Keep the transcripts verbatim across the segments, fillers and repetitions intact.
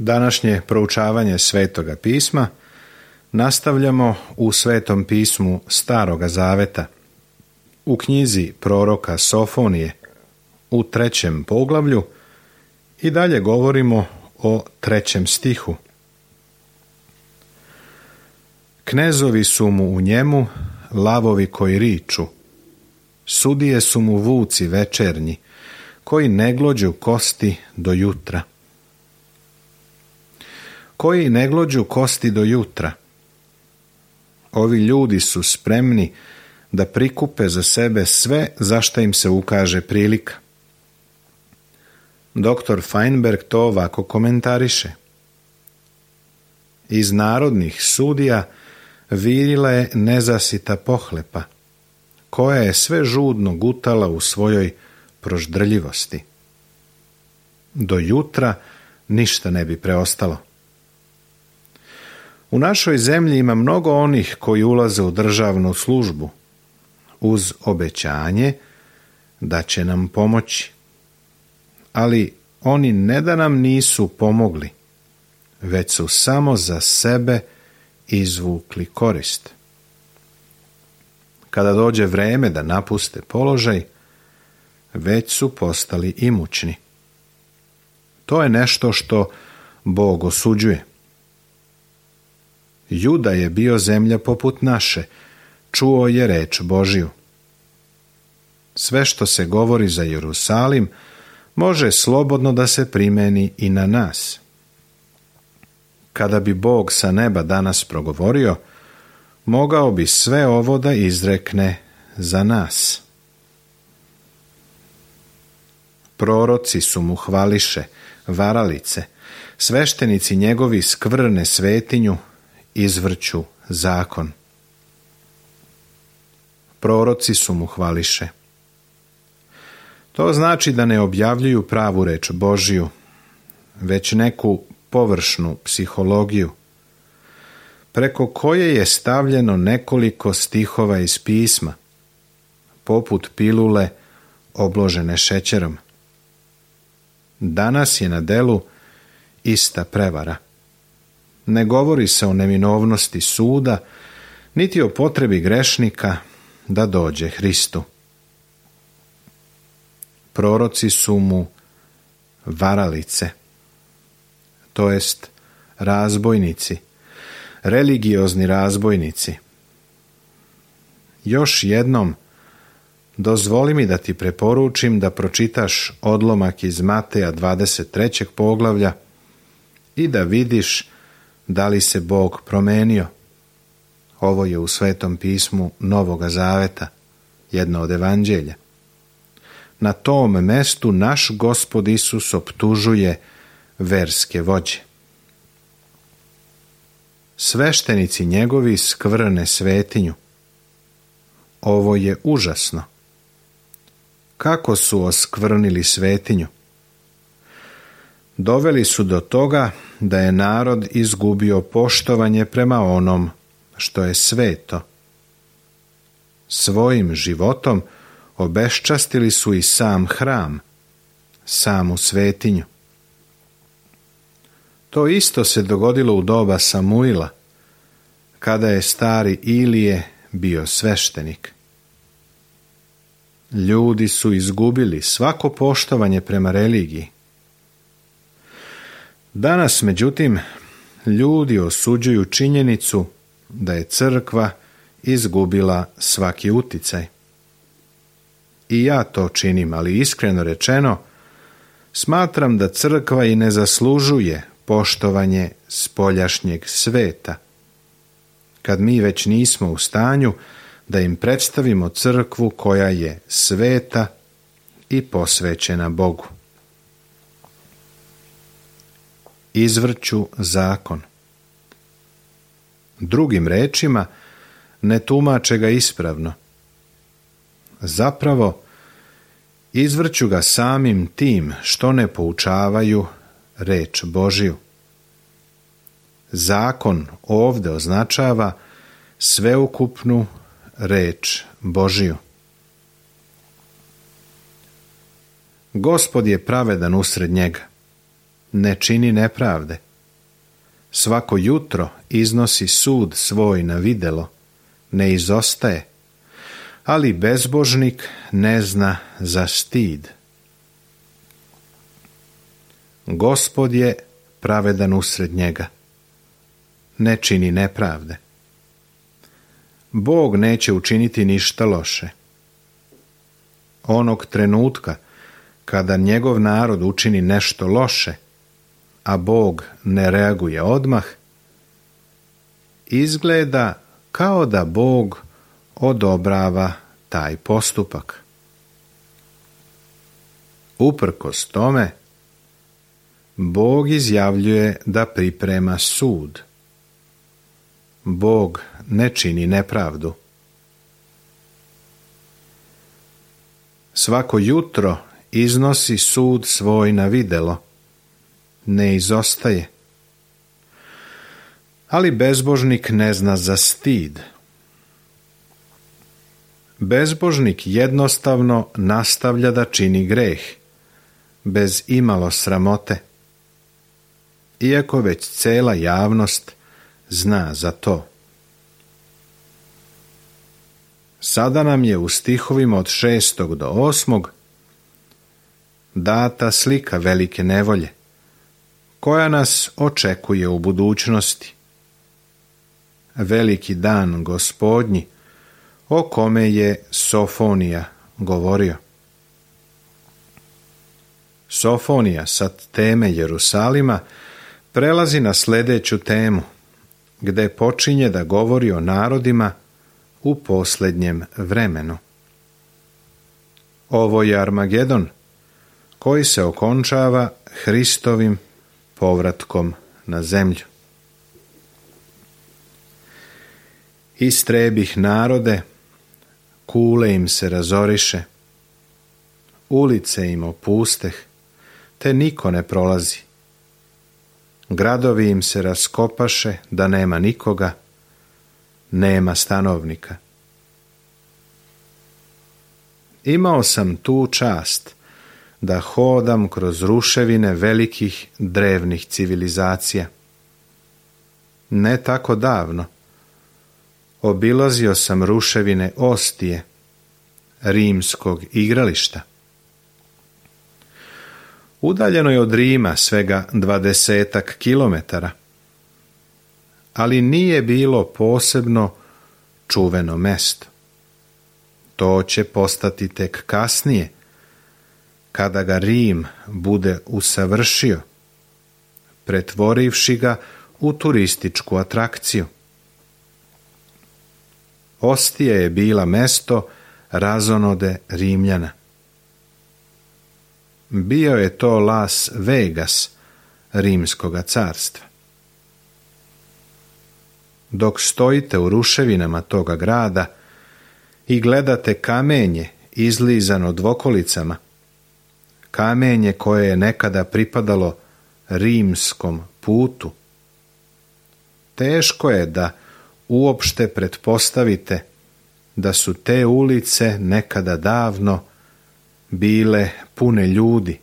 Današnje proučavanje Svetoga pisma nastavljamo u Svetom pismu Staroga Zaveta, u knjizi proroka Sofonije, u trećem poglavlju i dalje govorimo o trećem stihu. Knezovi su mu u njemu, lavovi koji riču, sudije su mu vuci večernji, koji ne glođu kosti do jutra. Koji ne glođu kosti do jutra. Ovi ljudi su spremni da prikupe za sebe sve za što im se ukaže prilika. Doktor Feinberg to ovako komentariše. Iz narodnih sudija virila je nezasita pohlepa, koja je sve žudno gutala u svojoj proždrljivosti. Do jutra ništa ne bi preostalo. U našoj zemlji ima mnogo onih koji ulaze u državnu službu uz obećanje da će nam pomoći. Ali oni ne da nam nisu pomogli, već su samo za sebe izvukli korist. Kada dođe vreme da napuste položaj, već su postali imućni. To je nešto što Bog osuđuje. Juda je bio zemlja poput naše, čuo je reč Božju. Sve što se govori za Jerusalim može slobodno da se primeni i na nas. Kada bi Bog sa neba danas progovorio, mogao bi sve ovo da izrekne za nas. Proroci su mu hvališe, varalice, sveštenici njegovi skvrne svetinju, izvrću zakon. Proroci su mu hvališe. To znači da ne objavljuju pravu reč Božju, već neku površnu psihologiju, preko koje je stavljeno nekoliko stihova iz pisma, poput pilule obložene šećerom. Danas je na delu ista prevara. Ne govori se o neminovnosti suda, niti o potrebi grešnika da dođe Hristu. Proroci su mu varalice, to jest razbojnici, religiozni razbojnici. Još jednom, dozvoli mi da ti preporučim da pročitaš odlomak iz Mateja dvadeset trećeg poglavlja i da vidiš da li se Bog promenio. Ovo je u Svetom pismu Novoga Zaveta, jedno od evanđelja. Na tom mestu naš Gospod Isus optužuje verske vođe. Sveštenici njegovi skvrne svetinju. Ovo je užasno. Kako su oskvrnili svetinju? Doveli su do toga da je narod izgubio poštovanje prema onom što je sveto. Svojim životom obeščastili su i sam hram, samu svetinju. To isto se dogodilo u doba Samuila, kada je stari Ilije bio sveštenik. Ljudi su izgubili svako poštovanje prema religiji. Danas, međutim, ljudi osuđuju činjenicu da je crkva izgubila svaki uticaj. I ja to činim, ali iskreno rečeno, smatram da crkva i ne zaslužuje poštovanje spoljašnjeg sveta, kad mi već nismo u stanju da im predstavimo crkvu koja je sveta i posvećena Bogu. Izvrću zakon. Drugim rečima, ne tumače ga ispravno. Zapravo, izvrću ga samim tim što ne poučavaju reč Božju. Zakon ovdje označava sveukupnu reč Božju. Gospod je pravedan usred njega, ne čini nepravde, Svako jutro iznosi sud svoj na videlo, ne izostaje, ali bezbožnik ne zna za stid. Gospod je pravedan usred njega, ne čini nepravde. Bog neće učiniti ništa loše. Onog trenutka kada njegov narod učini nešto loše, a Bog ne reaguje odmah, izgleda kao da Bog odobrava taj postupak. Uprkos tome, Bog izjavljuje da priprema sud. Bog ne čini nepravdu. Svako jutro iznosi sud svoj na videlo, ne izostaje. Ali bezbožnik ne zna za stid. Bezbožnik jednostavno nastavlja da čini greh, bez imalo sramote, iako već cela javnost zna za to. Sada nam je u stihovima od šestog do osmog data slika velike nevolje, koja nas očekuje u budućnosti. Veliki dan Gospodnji, o kome je Sofonija govorio. Sofonija sa teme Jerusalima prelazi na sljedeću temu, gde počinje da govori o narodima u posljednjem vremenu. Ovo je Armagedon, koji se okončava Hristovim povratkom na zemlju. Istrebih narode, kule im se razoriše, ulice im opusteh, te niko ne prolazi. Gradovi im se raskopaše da nema nikoga, nema stanovnika. Imao sam tu čast da hodam kroz ruševine velikih drevnih civilizacija. Ne tako davno obilazio sam ruševine Ostije, rimskog igrališta. Udaljeno je od Rima svega dvadesetak kilometara, ali nije bilo posebno čuveno mesto. To će postati tek kasnije, kada ga Rim bude usavršio, pretvorivši ga u turističku atrakciju. Ostija je bila mesto razonode Rimljana. Bio je to Las Vegas Rimskoga carstva. Dok stojite u ruševinama toga grada i gledate kamenje izlizano dvokolicama, kamenje koje je nekada pripadalo rimskom putu, teško je da uopšte pretpostavite da su te ulice nekada davno bile pune ljudi,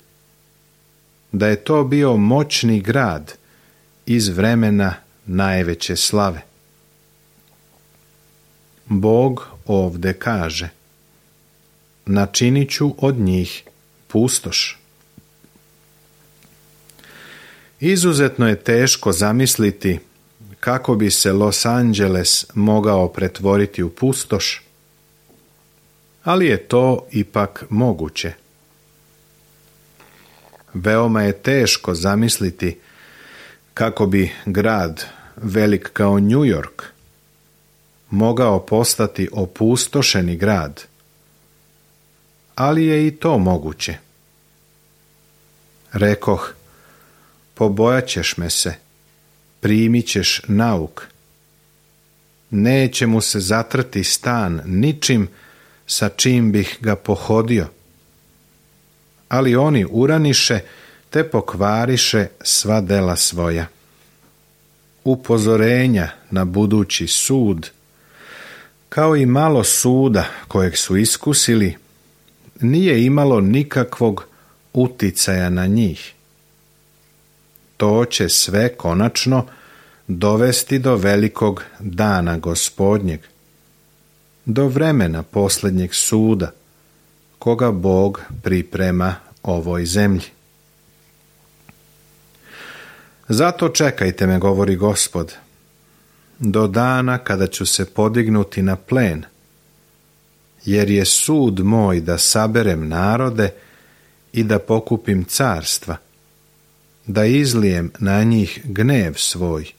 da je to bio moćni grad iz vremena najveće slave. Bog ovde kaže: načinit ću od njih pustoš. Izuzetno je teško zamisliti kako bi se Los Angeles mogao pretvoriti u pustoš, ali je to ipak moguće. Veoma je teško zamisliti kako bi grad velik kao New York mogao postati opustošeni grad, ali je i to moguće. Rekoh, pobojat ćeš me se, primit ćeš nauk. Neće mu se zatrti stan ničim sa čim bih ga pohodio. Ali oni uraniše te pokvariše sva dela svoja. Upozorenja na budući sud, kao i malo suda kojeg su iskusili, nije imalo nikakvog uticaja na njih. To će sve konačno dovesti do velikog dana Gospodnjeg, do vremena posljednjeg suda, koga Bog priprema ovoj zemlji. Zato čekajte me, govori Gospod, do dana kada ću se podignuti na plen, jer je sud moj da saberem narode i da pokupim carstva, da izlijem na njih gnev svoj,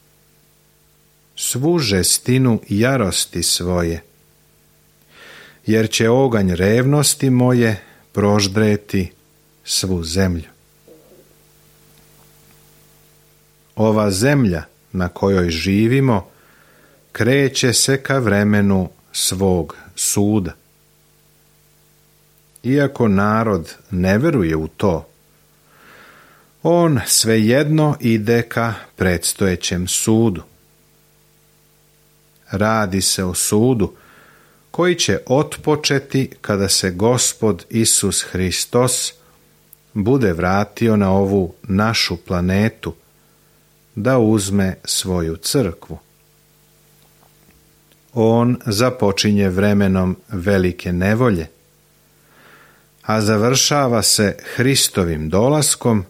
svu žestinu jarosti svoje, jer će oganj revnosti moje proždreti svu zemlju. Ova zemlja na kojoj živimo kreće se ka vremenu svog suda. Iako narod ne veruje u to, on svejedno ide ka predstojećem sudu. Radi se o sudu koji će otpočeti kada se Gospod Isus Hristos bude vratio na ovu našu planetu da uzme svoju crkvu. On započinje vremenom velike nevolje, a završava se Hristovim dolaskom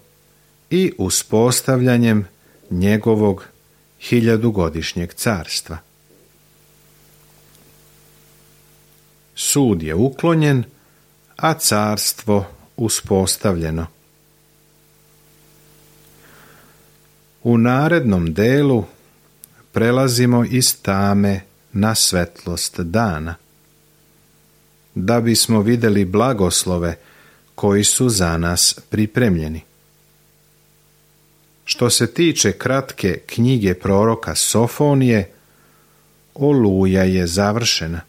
i uspostavljanjem njegovog hiljadugodišnjeg carstva. Sud je uklonjen, a carstvo uspostavljeno. U narednom delu prelazimo iz tame na svetlost dana, da bismo vidjeli blagoslove koji su za nas pripremljeni. Što se tiče kratke knjige proroka Sofonije, Oluja je završena.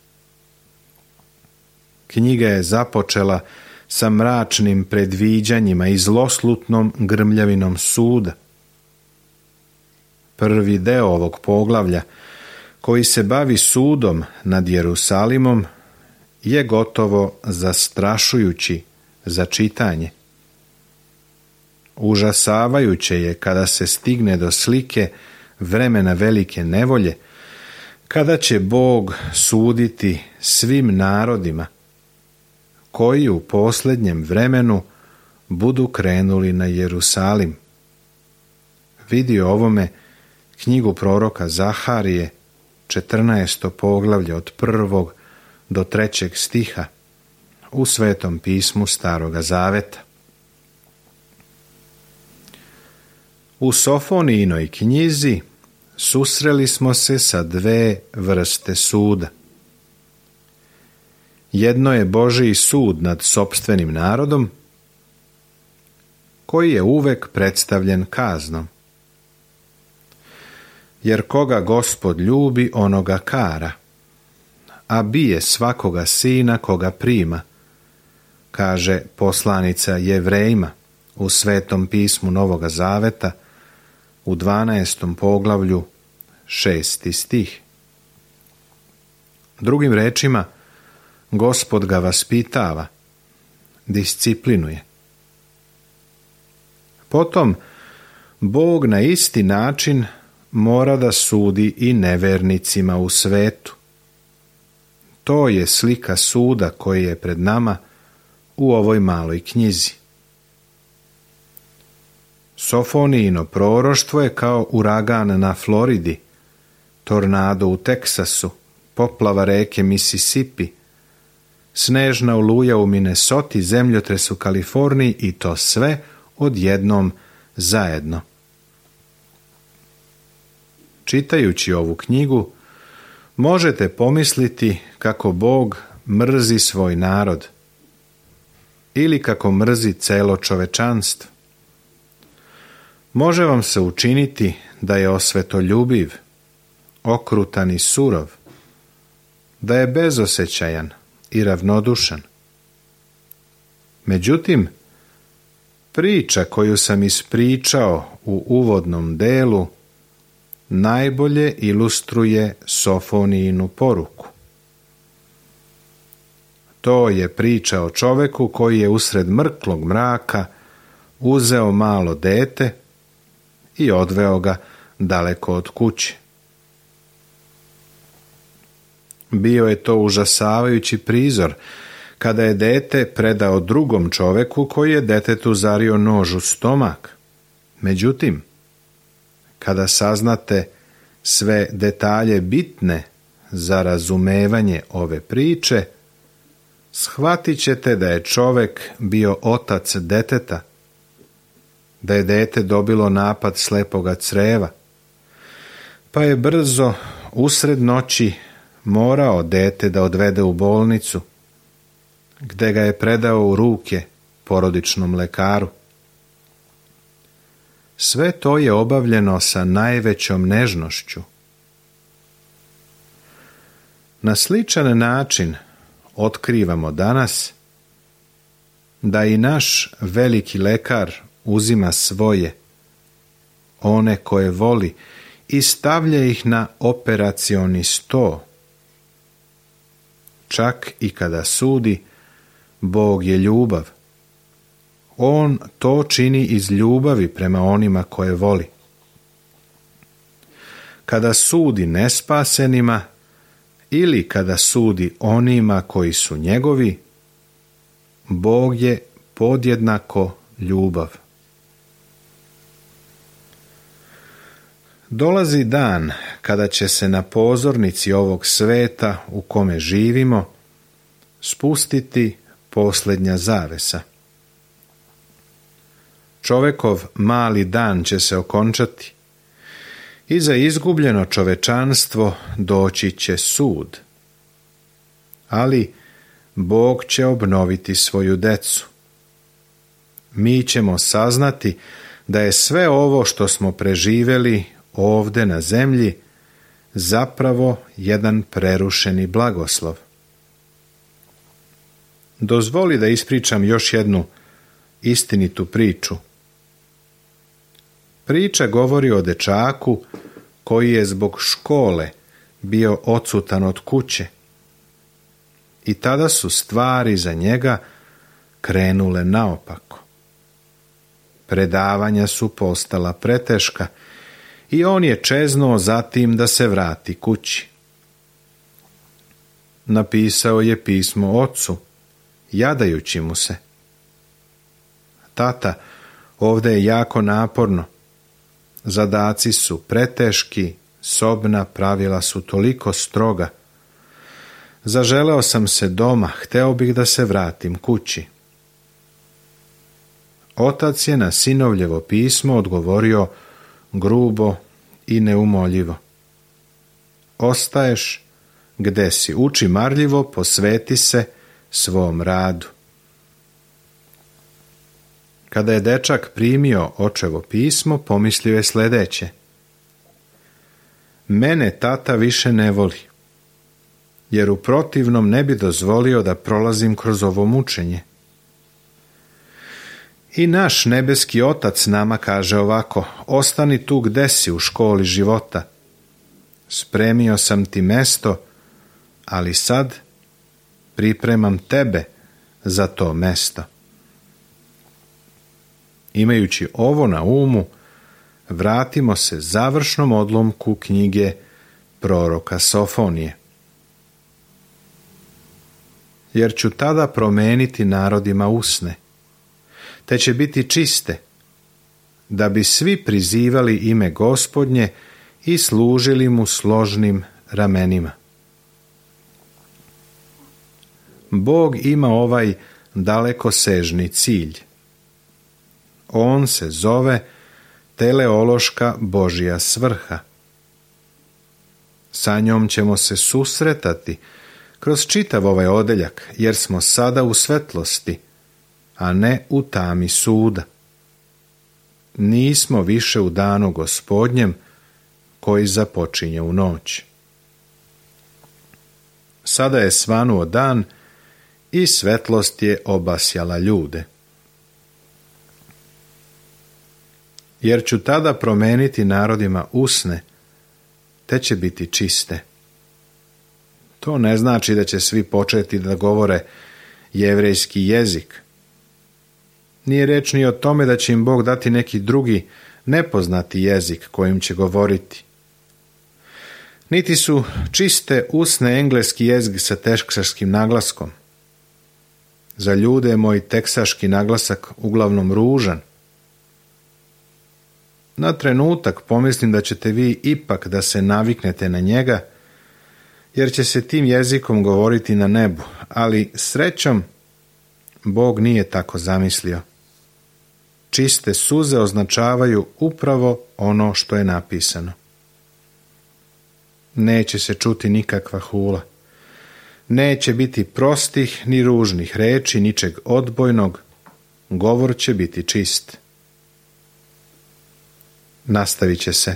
Knjiga je započela sa mračnim predviđanjima i zloslutnom grmljavinom suda. Prvi deo ovog poglavlja, koji se bavi sudom nad Jerusalimom, je gotovo zastrašujući za čitanje. Užasavajuće je kada se stigne do slike vremena velike nevolje, kada će Bog suditi svim narodima koji u posljednjem vremenu budu krenuli na Jerusalim. Vidi ovome knjigu proroka Zaharije, četrnaesto poglavlje od prvog do trećeg stiha u Svetom pismu Staroga Zaveta. U Sofonijinoj knjizi susreli smo se sa dve vrste suda. Jedno je Božji sud nad sopstvenim narodom, koji je uvek predstavljen kaznom. Jer koga Gospod ljubi, onoga kara, a bije svakoga sina koga prima, kaže poslanica Jevrejima u Svetom pismu Novoga Zaveta u dvanaestom poglavlju, šesti stih. Drugim rečima, Gospod ga vaspitava, disciplinuje. Potom, Bog na isti način mora da sudi i nevernicima u svetu. To je slika suda koji je pred nama u ovoj maloj knjizi. Sofonijino proroštvo je kao uragan na Floridi, tornado u Teksasu, poplava reke Mississippi, snežna oluja u Minnesoti, zemljotres u Kaliforniji i to sve odjednom zajedno. Čitajući ovu knjigu, možete pomisliti kako Bog mrzi svoj narod ili kako mrzi celo čovečanstvo. Može vam se učiniti da je osvetoljubiv, okrutan i surov, da je bezosjećajan i ravnodušan. Međutim, priča koju sam ispričao u uvodnom delu najbolje ilustruje Sofonijinu poruku. To je priča o čoveku koji je usred mrklog mraka uzeo malo dete i odveo ga daleko od kuće. Bio je to užasavajući prizor kada je dete predao drugom čoveku koji je detetu zario nož u stomak. Međutim, kada saznate sve detalje bitne za razumevanje ove priče, shvatit ćete da je čovek bio otac deteta, da je dete dobilo napad slepoga creva, pa je brzo usred noći morao dete da odvede u bolnicu, gde ga je predao u ruke porodičnom lekaru. Sve to je obavljeno sa najvećom nežnošću. Na sličan način otkrivamo danas da i naš veliki lekar uzima svoje, one koje voli, i stavlja ih na operacioni sto. Čak i kada sudi, Bog je ljubav. On to čini iz ljubavi prema onima koje voli. Kada sudi nespasenima ili kada sudi onima koji su njegovi, Bog je podjednako ljubav. Dolazi dan kada će se na pozornici ovog sveta u kome živimo spustiti posljednja zavesa. Čovekov mali dan će se okončati i za izgubljeno čovečanstvo doći će sud. Ali Bog će obnoviti svoju decu. Mi ćemo saznati da je sve ovo što smo preživjeli ovde na zemlji zapravo jedan prerušeni blagoslov. Dozvoli da ispričam još jednu istinitu priču. Priča govori o dečaku koji je zbog škole bio odsutan od kuće i tada su stvari za njega krenule naopako. Predavanja su postala preteška i on je čeznuo zatim da se vrati kući. Napisao je pismo ocu, jadajući mu se: Tata, ovdje je jako naporno. Zadaci su preteški, sobna pravila su toliko stroga. Zaželeo sam se doma, hteo bih da se vratim kući. Otac je na sinovljevo pismo odgovorio grubo i neumoljivo: Ostaješ gde si, uči marljivo, posveti se svom radu. Kada je dečak primio očevo pismo, pomislio je sljedeće: Mene tata više ne voli, jer u protivnom ne bi dozvolio da prolazim kroz ovo mučenje. I naš nebeski otac nama kaže ovako: ostani tu gde si u školi života. Spremio sam ti mesto, ali sad pripremam tebe za to mesto. Imajući ovo na umu, vratimo se završnom odlomku knjige proroka Sofonije. Jer ću tada promeniti narodima usne, te će biti čiste, da bi svi prizivali ime Gospodnje i služili mu složnim ramenima. Bog ima ovaj dalekosežni cilj. On se zove teleološka Božja svrha. Sa njom ćemo se susretati kroz čitav ovaj odeljak, jer smo sada u svetlosti, a ne u tami suda. Nismo više u danu Gospodnjem koji započinje u noć. Sada je svanuo dan i svetlost je obasjala ljude. Jer ću tada promeniti narodima usne, te će biti čiste. To ne znači da će svi početi da govore jevrejski jezik. Nije reč ni o tome da će im Bog dati neki drugi nepoznati jezik kojim će govoriti. Niti su čiste usne engleski jezik sa teksaškim naglaskom. Za ljude je moj teksaški naglasak uglavnom ružan. Na trenutak pomislim da ćete vi ipak da se naviknete na njega, jer će se tim jezikom govoriti na nebu, ali srećom Bog nije tako zamislio. Čiste suze označavaju upravo ono što je napisano. Neće se čuti nikakva hula. Neće biti prostih ni ružnih reči, ničeg odbojnog. Govor će biti čist. Nastavit će se.